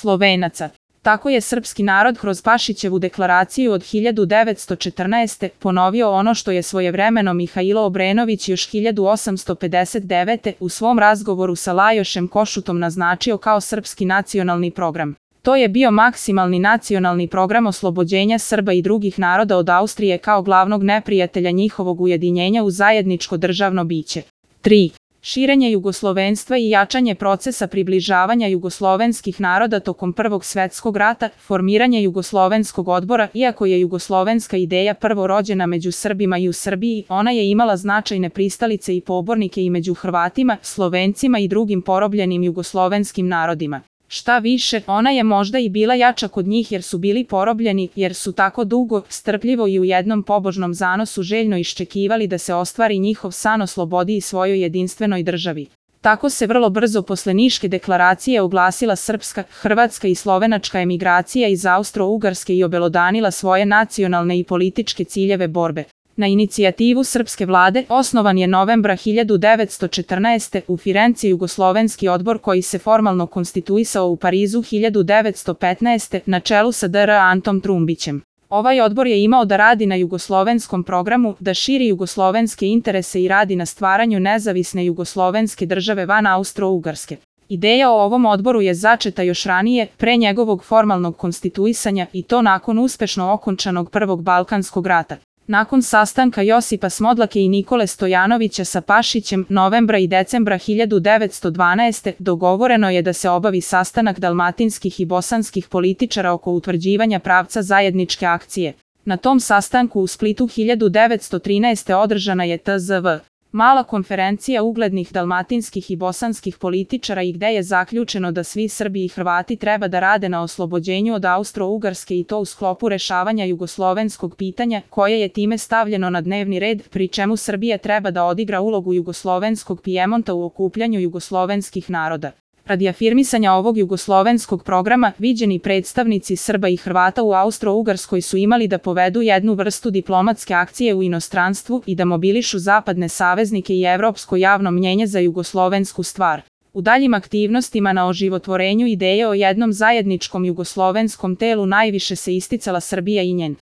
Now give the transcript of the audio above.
Slovenaca. Tako je srpski narod kroz Pašićevu deklaraciju od 1914. ponovio ono što je svojevremeno Mihajlo Obrenović još 1859. u svom razgovoru sa Lajošem Košutom naznačio kao srpski nacionalni program. To je bio maksimalni nacionalni program oslobođenja Srba i drugih naroda od Austrije kao glavnog neprijatelja njihovog ujedinjenja u zajedničko državno biće. 3. Širenje jugoslovenstva i jačanje procesa približavanja jugoslovenskih naroda tokom Prvog svetskog rata, formiranje jugoslovenskog odbora. Iako je jugoslovenska ideja prvo rođena među Srbima i u Srbiji, ona je imala značajne pristalice i pobornike i među Hrvatima, Slovencima i drugim porobljenim jugoslovenskim narodima. Šta više, ona je možda i bila jača kod njih jer su bili porobljeni, jer su tako dugo, strpljivo i u jednom pobožnom zanosu željno iščekivali da se ostvari njihov san o slobodi i svojoj jedinstvenoj državi. Tako se vrlo brzo posle Niške deklaracije oglasila srpska, hrvatska i slovenačka emigracija iz Austro-Ugarske i obelodanila svoje nacionalne i političke ciljeve borbe. Na inicijativu srpske vlade osnovan je novembra 1914. u Firenci jugoslovenski odbor koji se formalno konstituisao u Parizu 1915. na čelu sa dr. Antom Trumbićem. Ovaj odbor je imao da radi na jugoslovenskom programu, da širi jugoslovenske interese i radi na stvaranju nezavisne jugoslovenske države van Austro-Ugarske. Ideja o ovom odboru je začeta još ranije, pre njegovog formalnog konstituisanja i to nakon uspešno okončanog Prvog Balkanskog rata. Nakon sastanka Josipa Smodlake i Nikole Stojanovića sa Pašićem novembra i decembra 1912. dogovoreno je da se obavi sastanak dalmatinskih i bosanskih političara oko utvrđivanja pravca zajedničke akcije. Na tom sastanku u Splitu 1913. održana je tzv. Mala konferencija uglednih dalmatinskih i bosanskih političara i gde je zaključeno da svi Srbi i Hrvati treba da rade na oslobođenju od Austro-Ugarske i to u sklopu rešavanja jugoslovenskog pitanja, koje je time stavljeno na dnevni red, pri čemu Srbija treba da odigra ulogu jugoslovenskog Pijemonta u okupljanju jugoslovenskih naroda. Radi afirmisanja ovog jugoslovenskog programa, viđeni predstavnici Srba i Hrvata u Austro-Ugarskoj su imali da povedu jednu vrstu diplomatske akcije u inostranstvu i da mobilišu zapadne saveznike i evropsko javno mnjenje za jugoslovensku stvar. U daljim aktivnostima na oživotvorenju ideje o jednom zajedničkom jugoslovenskom telu najviše se isticala Srbija i njen